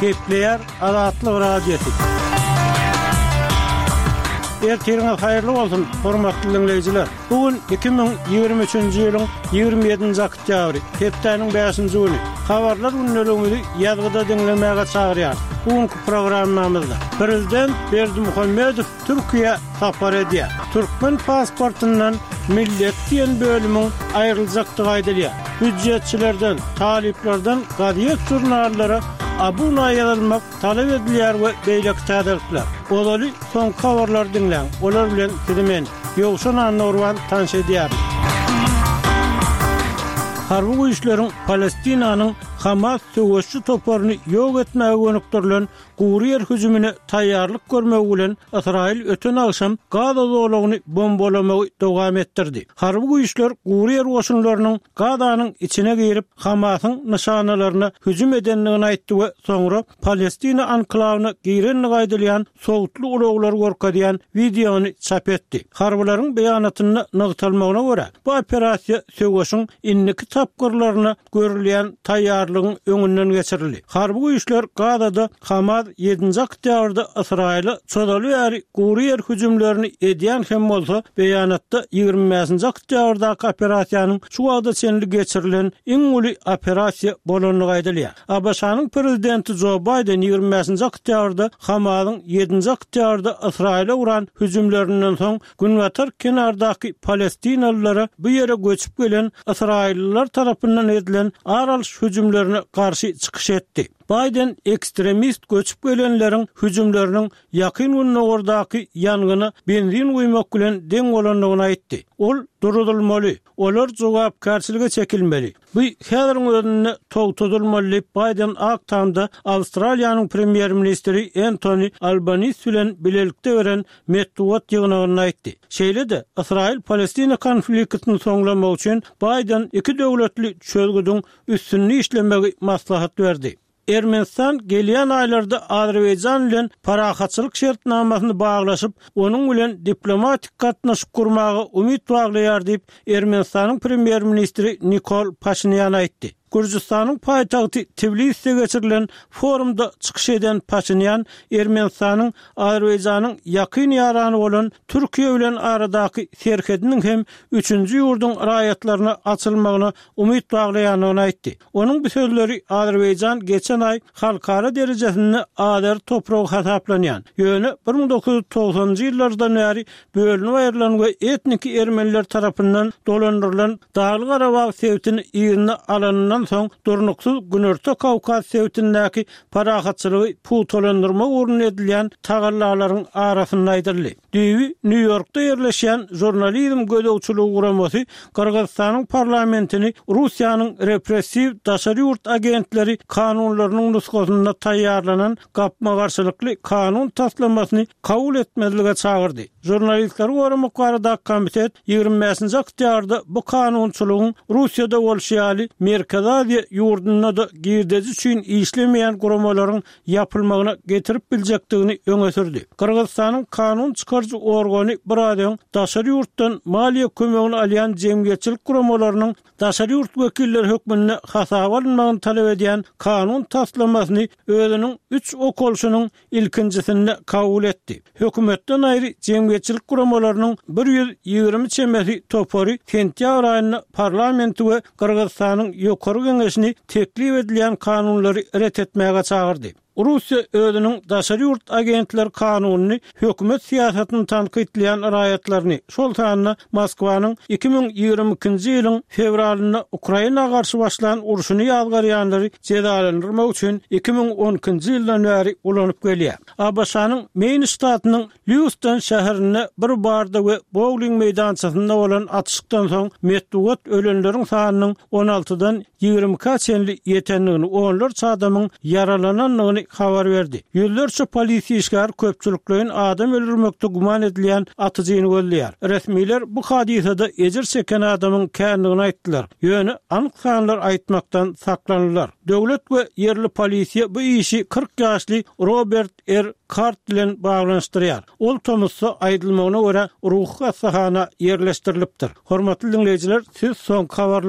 Gepleýär Azatlyk Radiosy. Ertiriňiz haýyrly bolsun, hormatly diňleýjiler! Bu gün 2023-nji ýylyň 27-nji oktýabry, hepdäniň bäşinji güni. Habarlar gündeligimizi ýazgyda diňlemäge çagyrýarys. Bu günki programmamyzda Prezident Berdimuhamedow Türkiýä sapar edýär. Türkmen pasportyndan millet diýen bölümiň aýryljakdygy aýdylýar. Býujetçilerden, talyplardan gazet-žurnallara abuna ýazylmak talap edilýär we beýleki täzelikler. Ozaly soňky habarlary diňläň, olar bilen sizi men, Ýowşan Annagurban tanyş edýärin. Harby güýçleriň Palestinanyň Hamas söweşçi toparyny ýok etmäge gönükdirilen Gury ýer hüjümine taýýarlyk görmegi bilen Ysraýyl öten agşam Gaza zolagyny bombalamagy dowam etdirdi. Harby güýçler gury ýer goşunlarynyň Gazanyň içine girip, Hamasyň nyşanalaryna hüjüm edendigini aýtdy we soňra Palestina anklawyna girendigi aýdylýan sowutly ulaglary görkezýän wideony çap etdi. Harbylaryň beýanatynda nygtalmagyna görä, bu operasiýa söweşiň indiki tapgyrlaryna görülýän taýýarlygyň öňünden geçirildi. Harby güýçler Gazada Hamas ýedinji oktýabrda Ysraýyla çozaly bäri gury ýer hüjümlerini edýän hem bolsa, beýanatda 25-nji oktýabrdaky operasiýanyň şu wagta çenli geçirilen iň uly operasiýa bolandygy aýdylýar. ABŞ-nyň prezidenti Jo Baýden 25-nji oktýabrda Hamasyň ýedinji oktýabrda Ysraýyla guran hüjümlerinden soň Günbatar kenardaky palestinalylara bu ýere göçüp gelen ysraýyllylar tarapyndan edilen ar alyş hüjümlerine garşy çykyş etdi. Baýden ekstremist göçüp gelenleriň hüjümleriniň Ýakyn Gündogardaky ýangyna benzin guýmak bilen deň bolandygyny aýtdy. Ol duruzylmaly, olar jogapkärçilige çekilmeli. Bu häziriň özünde togtadylmaly diýip, Baýden Ak Tamda Awstraliýanyň premýer-ministri Entoni Albanis bilen bilelikde beren metbugat ýygnagynda aýtdy. Şeýle-de, Ysraýyl-Palestina konfliktini soňlamak üçin Baýden iki döwletli çözgüdiň üstünde işlemegi maslahat berdi. Ermenistan gelýän aýlarda Azerbaýjan bilen parahatçylyk şertnamasyny baglaşyp, onuň bilen diplomatik gatnaşyk gurmaga umyt baglaýar diýip, Ermenistanyň premýer-ministri Nikol Paşinýan aýtdy. Gürjüstanyň paýtagty Tbiliside geçirilen forumda çykyş eden Paşinýan Ermenistanyň Azerbaýjanyň ýakyn ýarany bolan Türkiýe bilen aradaky serhediniň hem üçünji ýurduň raýatlaryna açylmagyna umyt baglaýandygyny aýtdy. Onuň bu sözleri Azerbaýjan geçen aý halkara derejesinde azeri topragy hasaplanýan, ýöne 1990-njy ýyllardan bäri bölünip aýrylan we etniki ermeniler tarapyndan dolandyrylan Dagly-Garabag sebitini yzyna alanyndan soň durnuksyz Günorta Kawkaz sebitindäki parahatçylygy pugtalandyrmak ugrunda edilýän tagallalaryň arasynda aýdyldy. Düýbi Nýu-Ýorkda ýerleşýän Žurnalizm gözegçiligi guramasy Gyrgyzystanyň parlamentini Russiýanyň repressiw daşary ýurt agentleri kanunlarynyň nusgasynda taýýarlanan gapma-garşylykly kanun taslamasyny kabul etmezlige çagyrdy. Žurnalistleri goramak baradaky komitet 25-nji oktýabrda bu kanunçylygyň Russiýada bolşy ýaly Merkezi Aziýa ýurdunda-da girdeji üçin işlemeýän guramalaryň ýapylmagyna getirip biljekdigini öňe sürdi. Gyrgyzystanyň kanun çykaryjy organy biraz öň daşary ýurtdan maliýe kömegini alýan jemgyýetçilik guramalarynyň daşary ýurt wekilleri hökmünde hasaba alynmagyny talap edýän kanun taslamasyny özüniň üç okalyşynyň ilkinjisinde kabul etdi. Hökümetden aýry jemgyýetçilik guramalarynyň 120 çemesi topary sentýabr aýynda parlamenti we Gyrgyzystanyň Ýokary Geňeşini teklip edilýän kanunlary ret etmäge çagyrdy. Russiýa özüniň daşary ýurt agentleri kanunyny hökümet syýasatyny tankytlaýan raýatlaryny, şol sanda Moskwanyň 2022-nji ýylyň fewralynda Ukraina garşy başlan urşuny ýazgarýanlary jezalandyrmak üçin 2012-nji ýyldan bäri ulanyp gelýär. ABŞ-nyň Meýn ştatynyň Lýuston şäherinde bir barda we bowling meýdançasynda bolan atyşykdan soň metbugat ölenleriň sanynyň on altydan ýigrimi ikä çenli ýetendigini, onlarça adamyň ýaralanandygyny habar berdi. Ýüzlerçe polisiýa işgäri köpçülikleýin adam öldürmekde güman edilýän atyjyny gözleýär. Resmiler bu hadysada ejir çeken adamyň kändigini aýtdylar, ýöne anyk sanlar aýtmakdan saklandylar. Döwlet we ýerli polisiýa bu işi 40 ýaşly Robert R. Kart bilen baglanyşdyrýar. Ol tomusda, aýdylmagyna görä, ruhy hassahana ýerleşdirilipdir. Hormatly diňleýjiler, siz soňky habarlar.